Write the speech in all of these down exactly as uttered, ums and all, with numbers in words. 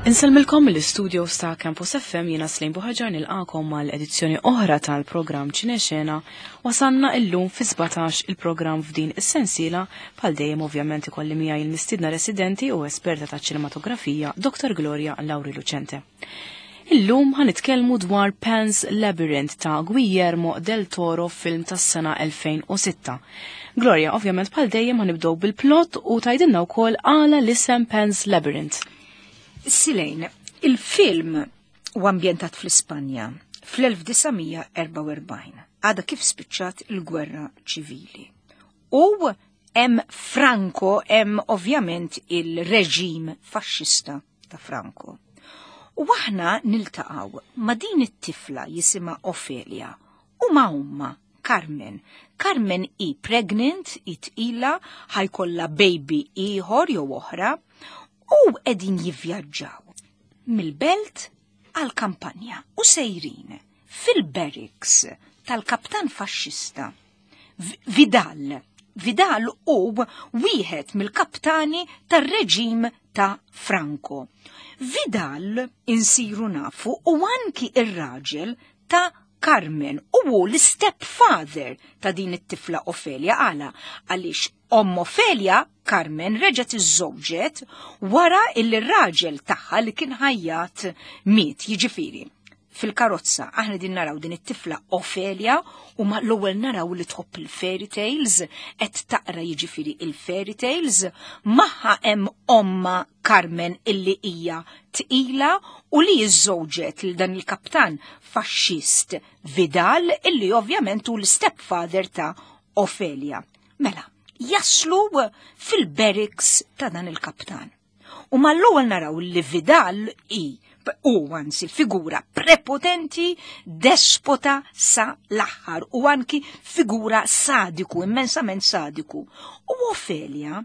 Insellmilkom mill-istudio ta' Campus F M, jiena Slejn Buħaġar, nilqakom mal-edizzjoni oħra tal-programm Ċinexena. Wasanna illum fi sbatax il-programm f'din is-sensiela. Bħal dejjem, ovvjament, ikolli miegħi il-mistidna residenti u esperta ta' ċinematografija, Doktor Gloria Lauri Lucente. Illum ħanitkellmu dwar Pan's Labyrinth ta' Guillermo del Toro, film tas-sena elfejn u sitta. Gloria, ovvjament, bħal dejjem ħanibdew bil-plot u tgħidilna wkoll għala l-isem Pan's Labyrinth. Silejn, il-film u ambjentat fl-Ispanja fl-elf disa' mija erbgħa u erbgħin. Għada kif spiċċat il-gwerra ċivili. U hemm Franco, hemm ovvjament il-reġim faxxista ta' Franco. U aħna niltaqgħu ma' din it-tifla jisimha Ofelia u ma' ommha Carmen. Carmen hi pregnant, hi tqila, ħa jkollha baby ieħor jew oħra, u qegħdin jivvjaġġaw mill-belt għal kampanja u sejrin fil-barracks tal-kaptan faxxista Vidal. Vidal u wieħed mill-kaptani tar-reġim ta' Franco. Vidal, insiru nafu, u anki ir-raġel ta' Carmen u hu l-stepfather ta' din it-tifla Ofelia. Għala? Għaliex omm Ofelia, Carmen, reġgħet iżżewġet wara illi r-raġel tagħha li kien ħajjat miet, jiġifieri. Fil-karozza aħna din naraw din it-tifla Ofelia u ma l-ewwel naraw li tħobb il-fairy tales, qed taqra jiġifieri il-fairy tales, magħha hemm omma Carmen illi hija tqila u li jiżżewġet lil dan il-kaptan faxxist Vidal, illi ovvjament hu l-stepfather ta' Ofelia. Mela, jaslu fil-barracks ta' dan il-kaptan. U mal-ewwel naraw li Vidal i u anzi figura prepotenti, despota sa l-aħħar u anki figura sadiku, immensament sadiku. U Ofelia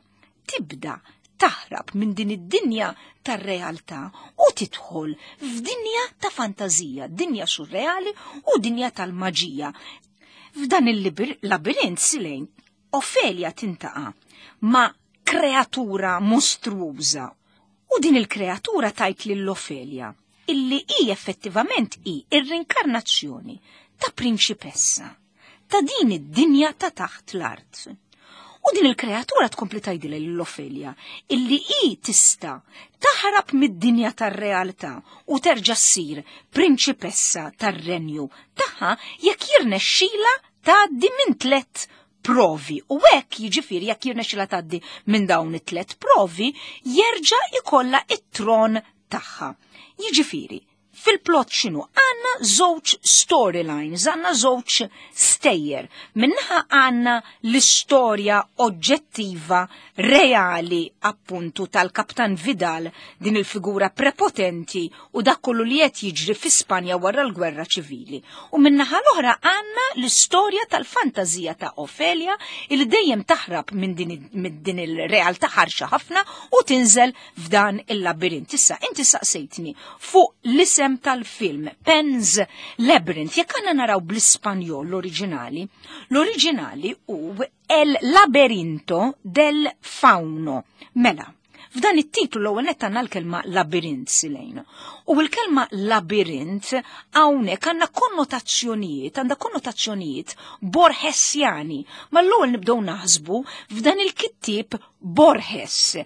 tibda taħrab minn din id-dinja tar-realtà u tidħol f'dinja ta' fantazija, dinja surreali u dinja tal-maġija. F'dan il-labirint, Silejn, Ofelia tiltaqa' ma' kreatura mostruża. U din il-kreatura tgħid lil Ofelia illi hi effettivament hi ir-rinkarnazzjoni ta' prinċipessa ta' din id-dinja ta' taħt l-art. U din il-kreatura tkompli tgħidilha lil Ofelia illi hi tista' taħrab mid-dinja tar-realtà u terġa' ssir prinċipessa tar-renju tagħha jekk jirnexxila tgħaddi minn tlet provi. U hekk, jiġifieri, jekk jirnexxila tgħaddi minn dawn it-tlet provi, jerġa' ikollha it-tron tagħha. Jiġifieri, fil-plot x'inhu? Għandna żewġ storylines, għandna żewġ stejjer. Min-naħa għandna l-istorja oġġettiva, reali, appuntu tal-Kaptan Vidal, din il-figura prepotenti, u dak kollu li qed jiġri fi Spanja wara l-gwerra ċivili. U min-naħa l-oħra għandna l-istorja tal-fantazija ta' Ofelia il dejjem taħrab minn din, min din il-realtà ħarxa ħafna u tinżel f'dan il-labirint. Issa, inti saqsejtni fuq l-isem tal-film Pan's Labyrinth. Jekk għandna naraw bl-Ispanjol l-oriġinali, l-oriġinali u El Laberinto del Fauno. Mela, f'dan it-titlu l-ewwel nett għandna l-kelma labirint, Silejn. U l-kelma labirint hawnhekk għandna konnotazzjonijiet, għandha konnotazzjonijiet borhesjani. Ma l-ewwel nibdew naħsbu f'dan il-kittieb Borges.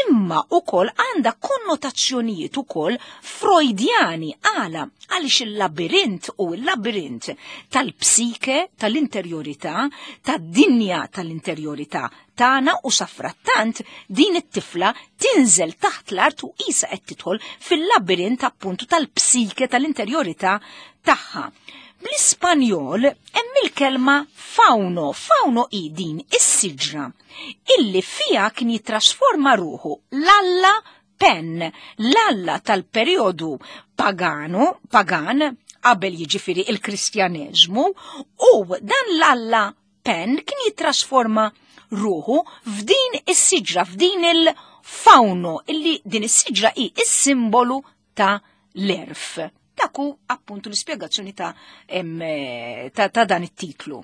Imma ukoll għandha konnotazzjonijiet ukoll Freudjani. Għala? Għaliex il-labirint u il-labirint tal-psike, tal-interjorità, tad-dinja tal-interjorità tagħna, u safrattant din it-tifla tinżel taħt l-art u qisha qed tidħol fil-labirint appuntu tal-psike, tal-interjorità tagħha. Bl-Ispanjol hemm il-kelma fauno. Fauno hi din is-siġra illi fija kien jitrasforma ruħu l-alla Pen, l-alla tal-periodu pagano, pagan, qabel jiġifieri il-Kristjaneżmu, u dan l-alla Pen kien jitrasforma ruħu f'din is-siġra, f'din il-fauno, illi din is-siġra hi is-simbolu ta' l-għerf. Dak hu appuntu l-ispjegazzjoni ta', em, ta, ta' dan it-titlu.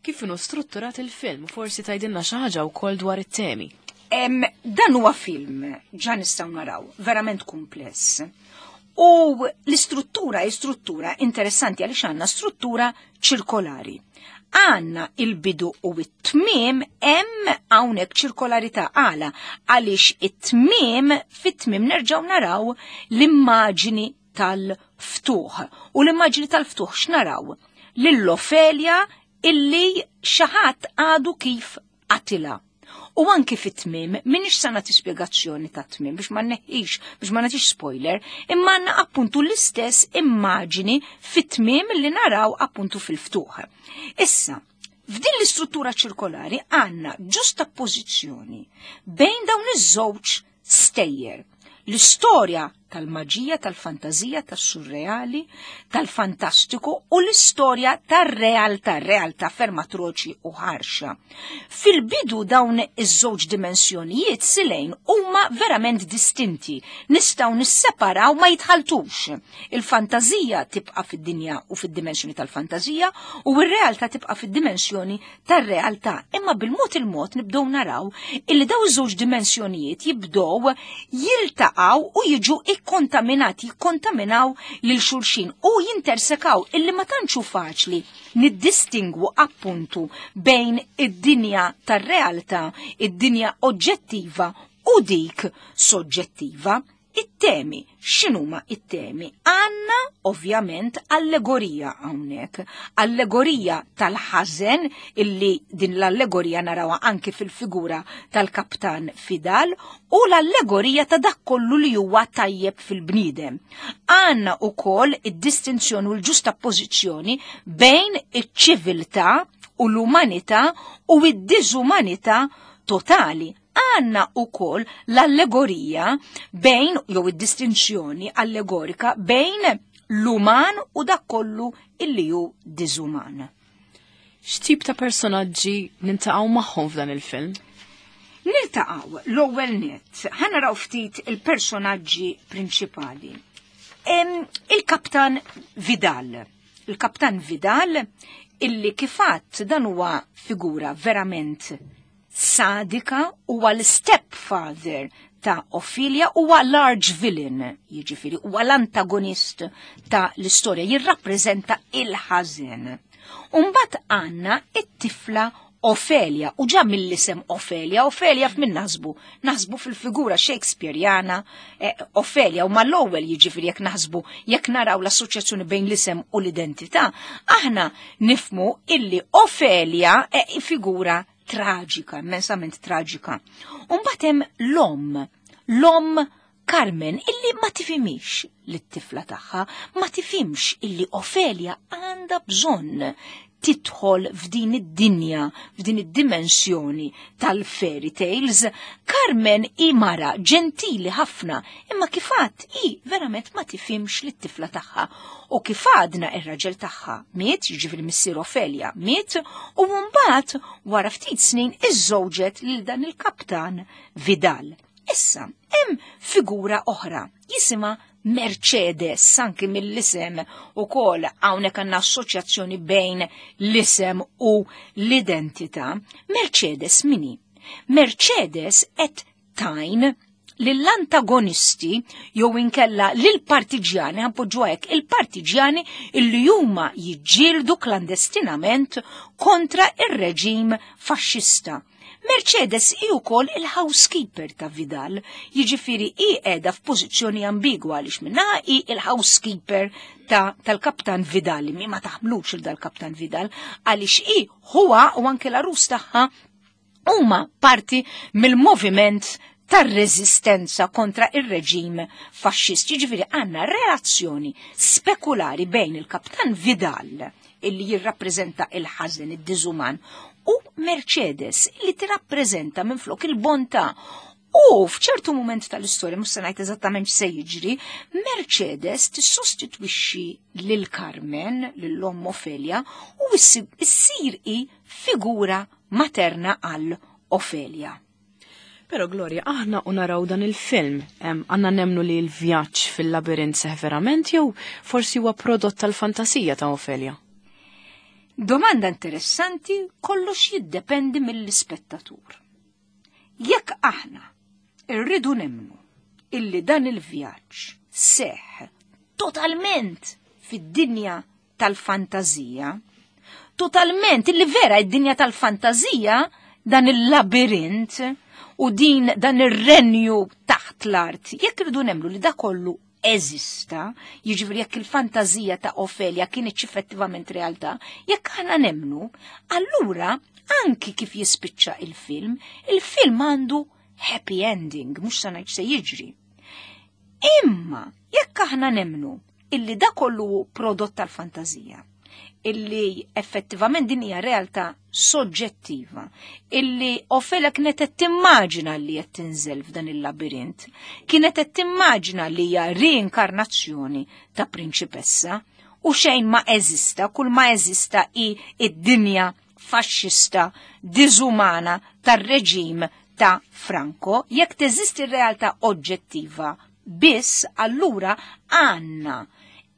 Kif inhu strutturat il-film? Forsi tgħidilna xi ħaġa wkoll dwar it-temi. Em, dan huwa film, ġa nistgħu naraw, verament kumpless. U l-istruttura hi struttura interessanti għaliex għandna struttura ċirkolari. Għanna il-bidu u it-tmiem, hemm hawnhekk ċirkolarità. Għala? Għaliex it-tmiem, fit-tmiem nerġgħu naraw l-immaġini tal-ftuħ. U l-immaġini tal-ftuħ x'naraw? Lil Ofelia illi xi ħadd għadu kif qatilha. U anki fit-tmiem, m'iniex se nagħti spjegazzjoni ta' tmiem biex ma neħix, biex ma nagħtix spoiler, imma għandna appuntu l-istess immaġini fit-tmiem li naraw appuntu fil-ftuħ. Issa, f'din l-istruttura ċirkolari għandna ġustapożizzjoni bejn dawn iż-żewġ stejjer. L-istorja tal-maġija, tal-fantazija, tas-surreali, tal-fantastiku u l-istorja tar-realtà, realtà ferm atroċi u ħarxa. Fil-bidu dawn iż-żewġ dimensjonijiet silejn huma verament distinti, nistgħu nisseparaw, ma jitħaltux. Il-fantazija tibqa' fid-dinja u fid-dimensjoni tal-fantazija u r-realtà tibqa' fid-dimensjoni tar-realtà. Imma bil-mod il-mod nibdew naraw illi daw iż-żewġ dimensjonijiet jibdew jiltaqgħu u jiġu ikkontaminati, jikkontaminaw lil xulxin u jintersekaw, illi ma tantxu faċli niddistingwu appuntu bejn id-dinja tar-realtà, id-dinja oġġettiva u dik soġġettiva. It-temi, x'inhuma it-temi? Għanna ovvjament allegorija hawnhekk, allegorija tal-ħażen, illi din l-allegorija narawha anki fil-figura tal-Kaptan Vidal, u l-allegorija ta' dak kollu li huwa tajjeb fil-bniedem. Għanna ukoll id-distinzjoni u l-ġustapożizzjoni bejn iċ-ċiviltà u l-umanità u id-diżumanità totali. Għanna u koll l-allegorija bejn, jew id-distinzjoni allegorika bejn l-uman u dak kollu illi hu diżuman. X'tip ta' personaġġi niltaqgħu magħhom f'dan il-film? Niltaqgħu l-ewwel nett, ħa naraw ftit il-personaġġi prinċipali. Il-Kaptan Vidal. Il-Kaptan Vidal illi kif għedt dan huwa figura verament sadika, huwa l-stepfather ta' Ophelia, huwa large villain, jiġifieri huwa l-antagonist ta' l-istorja, jirrappreżenta il-ħażen. Umbat għanna it-tifla Ophelia, u ġa mill-isem Ophelia, Ophelia f'min naħsbu? Naħsbu fil-figura Shakespeareana eh, Ophelia, u mal-ewwel jiġifieri jekk naħsbu, jekk naraw l-assoċjazzjoni bejn l-isem u l-identità, aħna nifmu illi Ophelia è figura traġika, immensament traġika. Umbagħad hemm l-omm, l-omm Carmen, illi ma tifhimx lit-tifla tagħha, ma tifhimx illi Ophelia għandha bżonn tidħol f'din id-dinja, f'din id-dimensjoni tal-fairy tales. Carmen hi mara ġentili ħafna, imma kif għedt hi verament ma tifhimx lit-tifla tagħha. U kif għadna, ir-raġel tagħha miet, jiġifieri missier Ophelia miet, u mbagħad wara ftit snin iżżewġet lil dan il-Kaptan Vidal. Issa, hemm figura oħra, jisimha Mercedes, anki mill-isem u koll hawnhekk għandna assoċjazzjoni bejn l-isem u l-identità. Mercedes min hi? Mercedes qed tgħin lill-antagonisti jew inkella lill-partiġjani, ħa npoġġu hekk, il-partiġjani illi huma jiġġieldu klandestinament kontra ir-reġim faxxista. Mercedes hi wkoll il-housekeeper ta' Vidal, jiġifieri hi qiegħda f'pożizzjoni ambigwa għaliex minn naħa hi il-housekeeper ta' tal-Kaptan Vidal, mi ma taħmlux il dal-Kaptan Vidal, għaliex hi huwa u anke l-arus tagħha huma parti mill-moviment tar-reżistenza kontra ir-reġim faxxist. Jiġifieri għandna relazzjoni spekulari bejn il-Kaptan Vidal, illi jirrappreżenta il-ħażen, id-diżuman, u Mercedes li tirrappreżenta minn flok il-bontà. U f'ċertu moment tal-istorja, mhux se ngħid eżattament x'se jiġri, Mercedes tissostitwixxi lil Carmen, lil omm Ophelia, u issir hi figura materna għal Ophelia. Pero Gloria, aħna u naraw dan il-film, għanna nemnu li l-vjaġġ fil-labirint seħ verament jew forsi huwa prodott tal-fantasija ta' Ophelia? Domanda interessanti, kollox jiddependi mill-ispettatur. Jekk aħna irridu nemmnu illi dan il-vjaġġ seħ totalment fid-dinja tal-fantazija, totalment illi vera id-dinja tal-fantazija, dan il-labirint u din dan ir-renju taħt l-art, jekk irridu nemmnu li da kollu eżista, jiġifieri jekk il-fantazija ta' Ofelia kienet effettivament realtà, jekk aħna nemmnu, allura anki kif jispiċċa il-film, il-film għandu happy ending, mhux sa ngħid se jiġri. Imma jekk aħna nemmnu illi da kollu prodott tal-fantazija, illi effettivament din hija realtà soġġettiva, illi Ofelia kienet qed timmaġina li qed tinżel f'dan il-labirint, kienet qed timmaġina li hija reinkarnazzjoni ta' prinċipessa u xejn ma eżista, kull ma eżista hi id-dinja faxxista, diżumana tar-reġim ta' Franco. Jekk teżisti realtà oġġettiva biss, allura għandna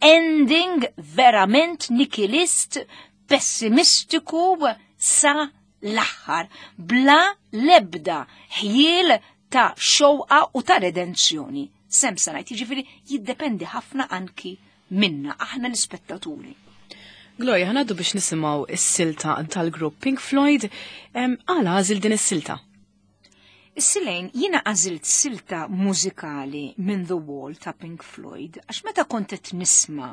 ending verament nikilist, pessimistiku sa l-aħħar, bla lebda ħjiel ta' xewqa u ta' redenzjoni. Sem sa ngħid, jiġifieri jiddependi ħafna anki minna, aħna l-ispettaturi. Gloria, ħanaddu biex nisimgħu is-silta tal-grupp Pink Floyd. Għala għażil din is-silta? Is-silejn, jiena għażilt silta mużikali minn The Wall ta' Pink Floyd, għax meta kont qed nisma'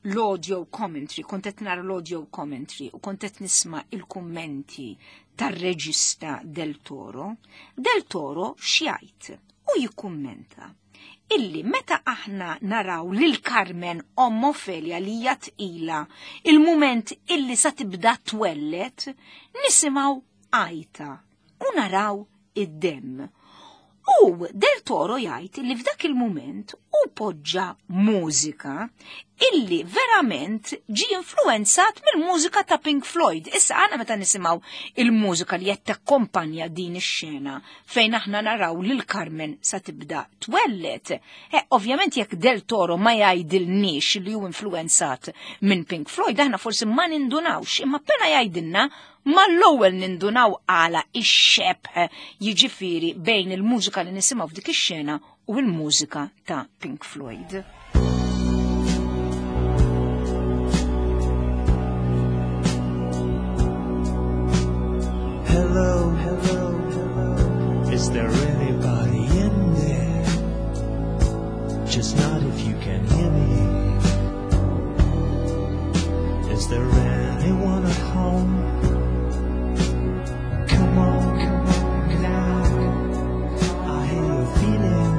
l-audio commentary, kont qed nara l-audio commentary u kont qed nisma' il-kummenti tar-reġista Del Toro, Del Toro x'jgħid u jikkummenta illi meta aħna naraw lil Carmen omm Ofelia li hija tqila il-mument illi sa tibda twellet, nisimgħu għajta u naraw id-demm. U Del Toro jgħid li f'dak il-mument u poġġa mużika illi verament ġi influenzat mill-mużika ta' Pink Floyd. Issa għana meta nisimgħu il-mużika li qed takkompanja din ix-xena fejn aħna naraw lil Carmen sa tibda twellet. Eh, ovvjament jekk Del Toro ma jgħidilniex li hu influenzat minn Pink Floyd, aħna forsi ma nindunawx, imma appena jgħidilna mal-ewwel nindunaw għala ix-xebh jiġifieri bejn il-mużika li nisimgħu f'dik ix-xena u l-mużika ta' Pink Floyd. Hello, hello, hello. Is there anybody in there? Just not if you can hear me. Is there anyone at home? Come on, come on, get out. I hear you're feeling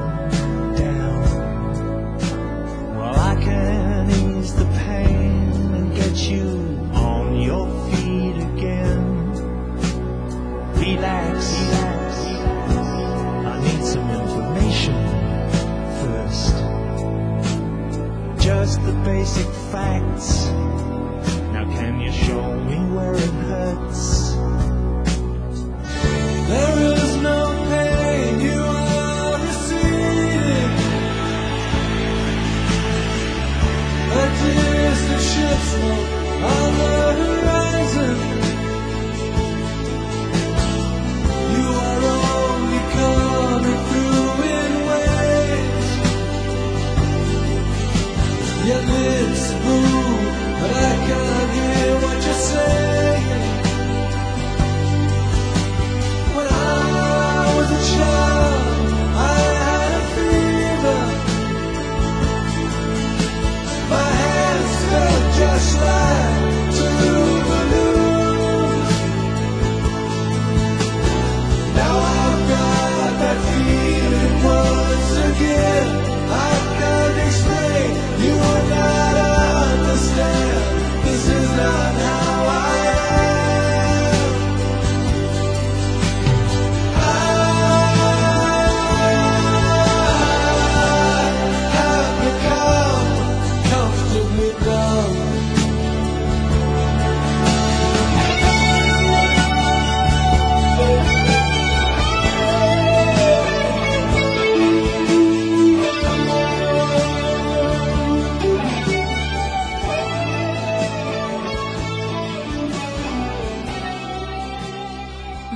down. Well, I can ease the pain and get you on your feet again. Relax, relax. I need some information first. Just the basic facts. Now can you show me where it hurts? There is no pain, you are receding. A distant ship smoke on the horizon. You are only coming through in waves. Your lips move, but I can't hear what you're saying. When I was a child, I had a fever. My hands felt just like two balloons. Now I've got that feeling once again. I can't explain, you will not understand. This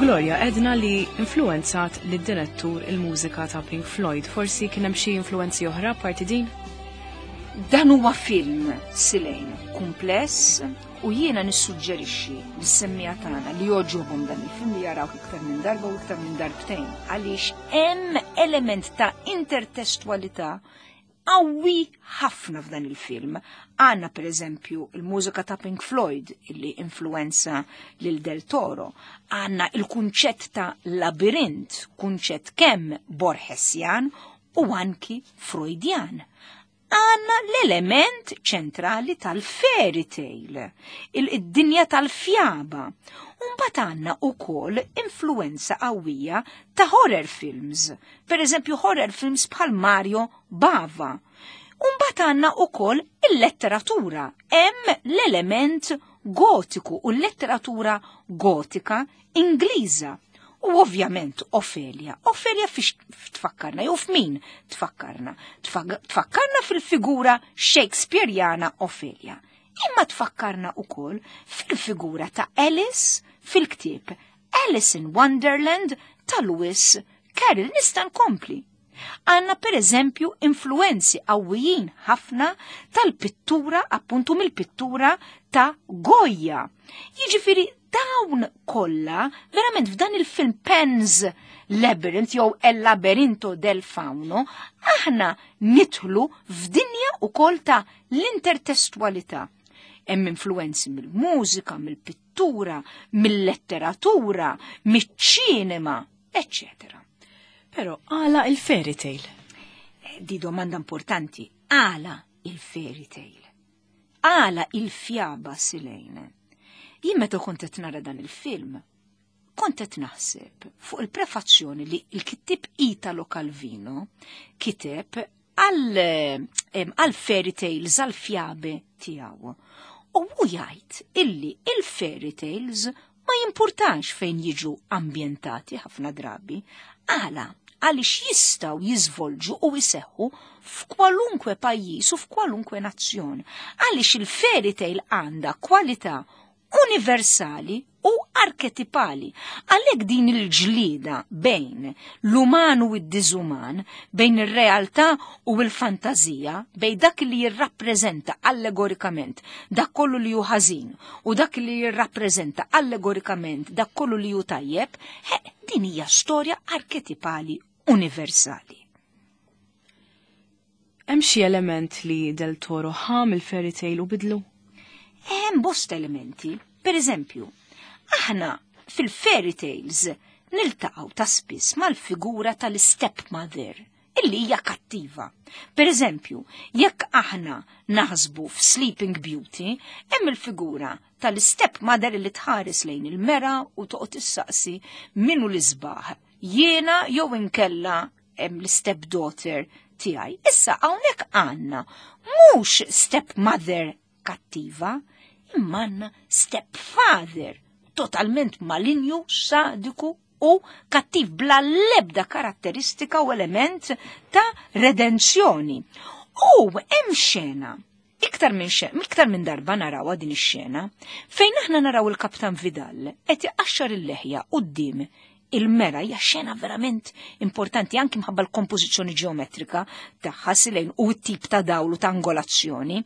Gloria, għedna li influenzat lid-direttur il-mużika ta' Pink Floyd. Forsi kien hemm xi influenzi oħra parti din? Dan huwa film, Silejn, kumpless u jiena nissuġġerixxi lis-semmiegħa tagħna li jogħġobhom dan il-film li jaraw iktar minn darba u iktar minn darbtejn għaliex hemm element ta' intertestwalità qawwi ħafna f'dan il-film. Għandna per eżempju il-mużika ta' Pink Floyd illi influenza lil Del Toro. Għandna il-kunċett ta' labirint, kunċett kemm Borgesian u anki Freudian. Għandna l-element ċentrali tal-fairy tale, il-dinja tal-fjaba. Umbagħad għandna ukoll influenza qawwija ta' horror films, per eżempju horror films bħal Mario Bava. Umbagħad għandna ukoll il-letteratura, hemm l-element gotiku u l-letteratura gotika Ingliża. U ovvjament Ofelia. Ofelia fiex tfakkarna, jew f'min tfakkarna? Tfakkarna fil-figura Shakespeareana Ofelia. Imma tfakkarna ukoll fil-figura ta' Alice fil-ktieb Alice in Wonderland ta' Lewis Carroll. Nista' nkompli. Għandna per eżempju influenzi qawwijin ħafna tal-pittura, appuntu mill-pittura ta' Goya. Jiġifieri dawn kollha verament f'dan il-film Pan's Labyrinth jew El Laberinto del Fauno, aħna nidħlu f'dinja ukoll ta' l-intertestwalità. Hemm influenzi mill-mużika, mill-pittura, mill-letteratura, miċ-ċinema, eccetera. Però għala il-fairy tale? Di domanda importanti. Għala il-fairy tale? Għala il-fjaba, Silejne? Jien meta kont qed nara dan il-film, kont qed naħseb fuq il-prefazzjoni li il-kittib Italo Calvino kiteb għal fairy tales, għal fjabe tiegħu. U hu jgħid illi il-fairy tales ma jimpurtax fejn jiġu ambjentati ħafna drabi, għala għaliex jistgħu jiżvolġu u jseħħu f'kwalunkwe pajjiż u f'kwalunkwe nazzjon. Għaliex il-fairy tale għandha kwalità universali u arketipali. Għalhekk din il-ġlida bejn l-uman u d-diżuman, bejn ir-realtà u l-fantazija, bejn dak li jirrappreżenta allegorikament dak kollu li hu ħażin u dak li jirrappreżenta allegorikament dak kollu li hu tajjeb, din hija storja arketipali universali. Hemm xi element li Del Toro ħa mill-fairy tale u bidlu? Hemm bosta elementi. Per eżempju, aħna fil-fairy tales niltaqgħu ta' spiss mal-figura tal-stepmother illi hija kattiva. Per eżempju, jekk aħna naħsbu f'Sleeping Beauty, hemm il-figura tal-stepmother li tħares lejn il-mera u toqgħod issaqsi min hu l-isbaħ, jiena jew inkella hemm l-stepdaughter tiegħi. Issa hawnhekk għandna mhux stepmother kattiva, imma għandna stepfather totalment malinju, sadiku u kattiv bla lebda karatteristika u element ta' redenzjoni. U hemm xena, iktar minn xena, iktar minn darba narawha din ix-xena, fejn aħna naraw il-Kaptan Vidal qed iqaxxar il-leħja quddiem il-mera. Hija xena verament importanti anki mħabba l-kompożizzjoni ġeometrika tagħha, Silejn, u t-tip ta' dawl u ta' angolazzjoni.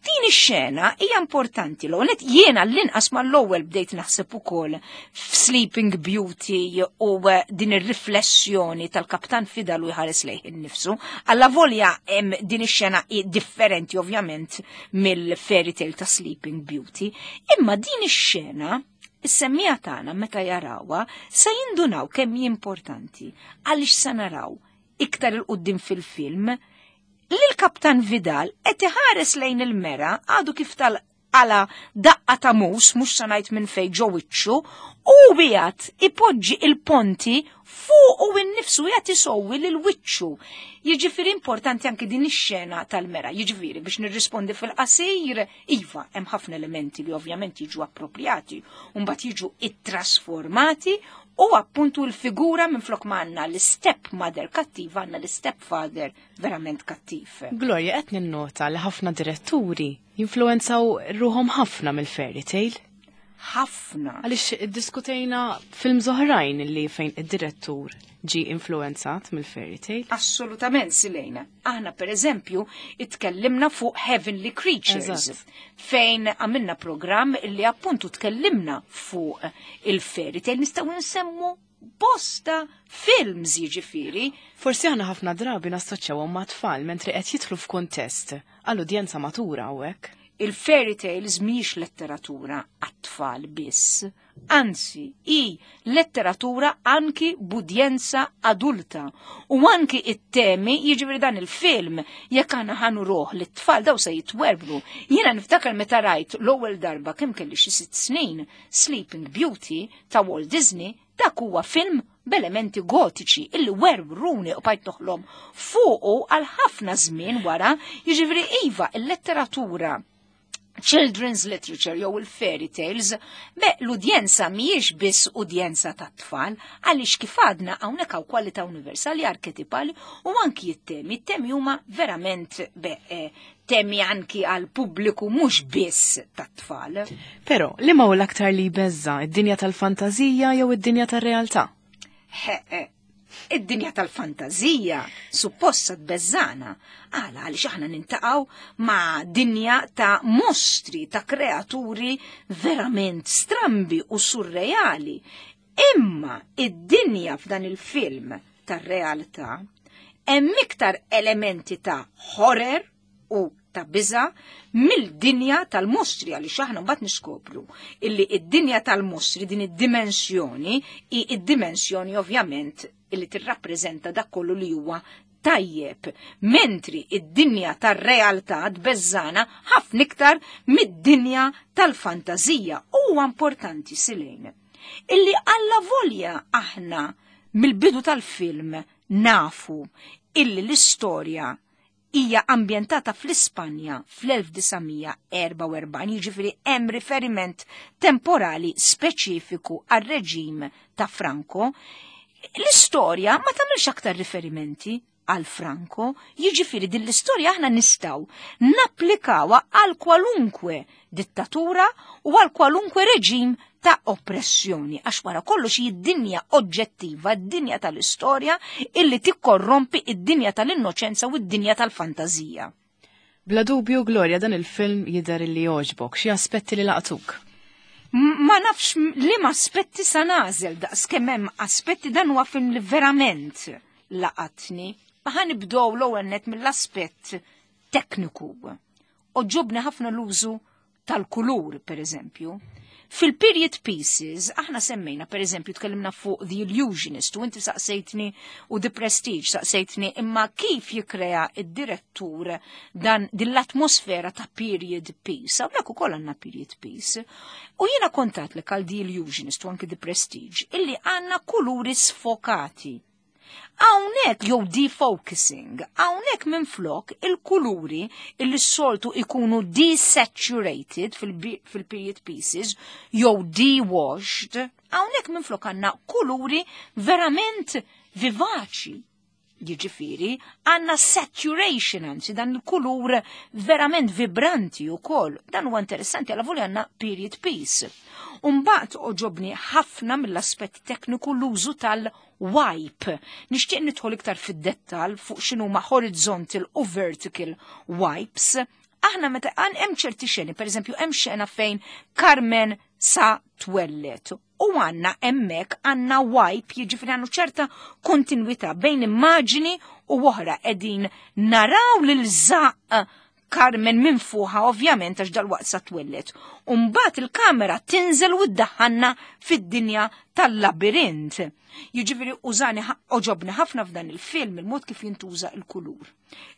Din ix-xena hija importanti l net jiena l-inqas mal-ewwel bdejt naħseb ukoll f'Sleeping Beauty u eh, din ir-riflessjoni tal-Kaptan Vidal u jħares lejh innifsu. Alla volja hemm din ix-xena differenti ovvjament mill-fairy tale ta' Sleeping Beauty, imma din ix-xena is-semmiegħa tagħna meta jarawha se jindunaw kemm hi importanti għaliex se naraw iktar 'il quddiem fil-film li l-Kaptan Vidal qed iħares lejn il-mera għadu kif tal għala daqqa ta' mus, mhux sa ngħid minn fejn ġo wiċċu, u qiegħed ipoġġi il-ponti fuq u innifsu qiegħed isowwi lil wiċċu. Jiġifieri importanti anki din ix-xena tal-mera. Jiġifieri biex nirrispondi fil-qasir, iva, hemm ħafna elementi li ovvjament jiġu appropriati, u mbagħad jiġu ittrasformati u appuntu l-figura minn flok għandna l-step mother kattiva għandna l-step father verament kattiv. Gloria, qed ninnota li ħafna diretturi jinfluenzaw ruħhom ħafna mill-fairy tale. Ħafna. Għaliex iddiskutejna films oħrajn li fejn id-direttur ġi influenzat mill-fairy tale. Assolutament, Silejna. Aħna per eżempju itkellimna fuq Heavenly Creatures. Eżatt. Fejn għamilna program li appuntu tkellimna fuq il-fairy tale, nistgħu nsemmu bosta films, jiġifieri. Forsi aħna ħafna drabi nassoċjawhom ma' tfal, mentri qed jidħlu f'kuntest għall-udjenza matura hawnhekk. Il-fairy tales mhijiex letteratura għat-tfal biss, anzi, hi letteratura anki b'udjenza adulta. U anki it-temi, jiġifieri dan il-film, jekk aħna ħa nuruh lit-tfal, daw se jitwerblu. Jiena niftakar meta rajt l-ewwel darba, kemm kelli, xi sitt snin, Sleeping Beauty ta' Walt Disney. Dak huwa film b'elementi gotiċi illi werwruni u bqajt noħlom fuqu għal ħafna żmien wara. Jiġifieri iva, il-letteratura, children's literature jew il-fairy tales, be l-udjenza mhijiex biss udjenza ta' tfal, għaliex kif għadna hawnhekk hawn kwalità universali, arketipali u anki it-temi. It-temi huma verament be, eh, temi anki għal pubbliku mhux biss ta' tfal. Però, li ma hu l-aktar li jbeżża', id-dinja tal-fantazija jew id-dinja tar-realtà? He, eh, id-dinja tal-fantazija supposta tbeżżana. Għala? Għaliex aħna niltaqgħu ma' dinja ta' mostri, ta' kreaturi verament strambi u surreali. Imma id-dinja f'dan il-film tar-realtà hemm iktar elementi ta' horror u ta' biża mill-dinja tal-mostri, għaliex aħna mbagħad niskopru illi id-dinja tal-mostri, din id-dimensjoni, hi id-dimensjoni ovvjament illi tirrappreżenta dak kollu li huwa tajjeb, mentri id-dinja tar-realtà tbeżżana ħafna iktar mid-dinja tal-fantazija. Huwa importanti, Silejn, illi alla volja aħna mill-bidu tal-film nafu illi l-istorja hija ambjentata fl-Ispanja fl-elf disa' mija erbgħa u erbgħin, jiġifieri hemm riferiment temporali speċifiku għar-reġim ta' Franco, l-istorja ma tagħmilx aktar riferimenti għal Franco, jiġifieri din l-istorja aħna nistgħu napplikawha għal kwalunkwe dittatura u għal kwalunkwe reġim ta' oppressjoni, għax wara kollox hi d-dinja oġġettiva, d-dinja tal-istorja illi tikkorrompi id-dinja tal-innoċenza u d-dinja tal-fantazija. Bla dubju, Gloria, dan il-film jidher li jogħġbok, xi aspetti li laqtuk? M- Ma nafx liema aspetti sa nagħżel, daqs kemm hemm aspetti. Dan huwa film li verament laqatni. Ma ħa nibdew l-ewwel net mill-aspett tekniku. Għoġobni ħafna l-użu tal-kulur, per eżempju. Fil-period pieces, aħna semmejna, per eżempju, tkellimna fuq The Illusionist, u inti saqsejtni, u The Prestige, saqsejtni, imma kif jikrea id-direttur dan din l-atmosfera ta' period piece? Hawnhekk ukoll għandna period piece. U jiena kontat li għal The Illusionist u anki The Prestige, illi għandna kuluri sfokati. Hawnhekk jew defocusing, hawnhekk minn flok il-kuluri illi s-soltu ikunu desaturated fil-period pieces jew dewashed, hawnhekk minn flok għandna kuluri verament vivaċi. Jiġifieri, għandna saturation, anzi dan il-kulur verament vibranti u koll. Dan huwa interessanti għala volja għandna period piece. Umbagħad għoġobni ħafna mill-aspett tekniku l-użu tal-wipe. Nixtieq nidħol iktar fid-dettal fuq x'inhu ma' horizontal u vertical wipes. Aħna meta għan hemm ċerti xeni, per eżempju hemm xena fejn Carmen sa twellet. U għandna hemmhekk għandna wipe, jiġifieri għandu ċerta kontinwità bejn immaġini u oħra, qegħdin naraw lil żaqq Carmen minn fuqha, ovvjament għax dal-waqt sa twellet. Umbagħad il-kamera tinżel u ddaħħalna fid-dinja tal-labirint. Jiġifieri użani, għoġobni ħafna f'dan il-film il-mod kif jintuża il-kulur,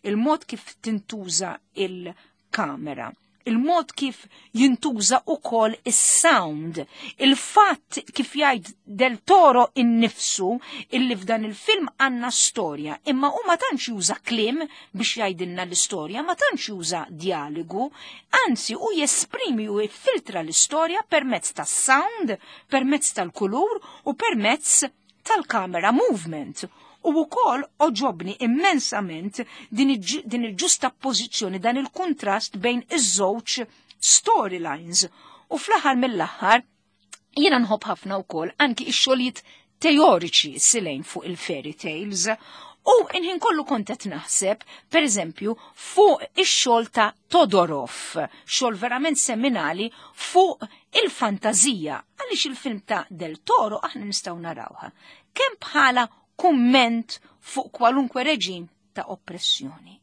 il-mod kif tintuża il-kamera, il-mod kif jintuża ukoll is-sound, il-fatt kif jgħid Del Toro innifsu illi f'dan il-film għandna storja, imma u ma tantx juża kliem biex jgħidilna l-istorja, ma tantx juża dialogu, anzi u jesprimi u jiffiltra l-istorja permezz tas-sound, permezz tal-kulur u permezz tal-camera movement. U wkoll għoġobni immensament din il-ġuxtapożizzjoni, dan il-kontrast bejn iż-żewġ storylines. U fl-aħħar mill-aħħar jiena nħobb ħafna wkoll anki x-xogħlijiet teoriċi silejn fuq il-fairy tales. U inħin kollu kont qed naħseb, per eżempju, fuq ix-xogħol ta' Todorov, xogħol verament seminali fuq il-fantazija, għaliex il-film ta' Del Toro aħna nistgħu narawha. Kemm bħala kumment fuq kwalunkwe reġim ta' oppressjoni.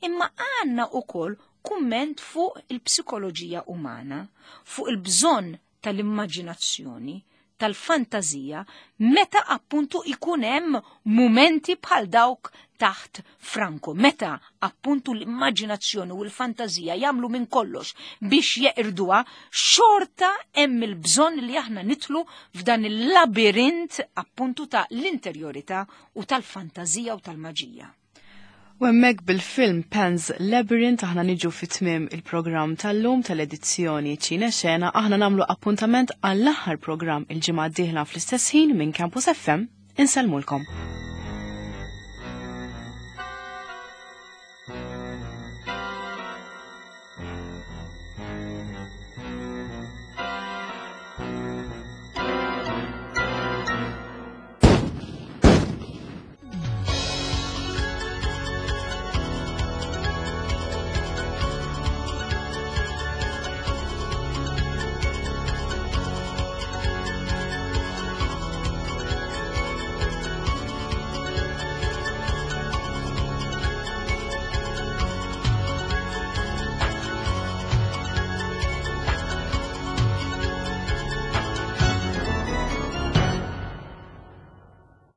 Imma għandna ukoll kumment fuq il-psikoloġija umana, fuq il-bżonn tal-immaġinazzjoni, tal-fantazija, meta appuntu ikun hemm mumenti bħal dawk taħt Franco, meta appuntu l-immaġinazzjoni u l-fantazija jagħmlu minn kollox biex jeqirduha, xorta hemm il-bżonn li aħna nitlu f'dan il-labirint appuntu ta' l-interjorità u tal-fantazija u tal-maġija. U hemmhekk bil-film Pan's Labyrinth aħna niġu fi tmiem il-programm tal-lum tal-edizzjoni Ċine Xena, aħna nagħmlu appuntament għall-aħħar programm il-ġimgħa d-dieħla fl-istess ħin minn Campus F M. Insellmulkom.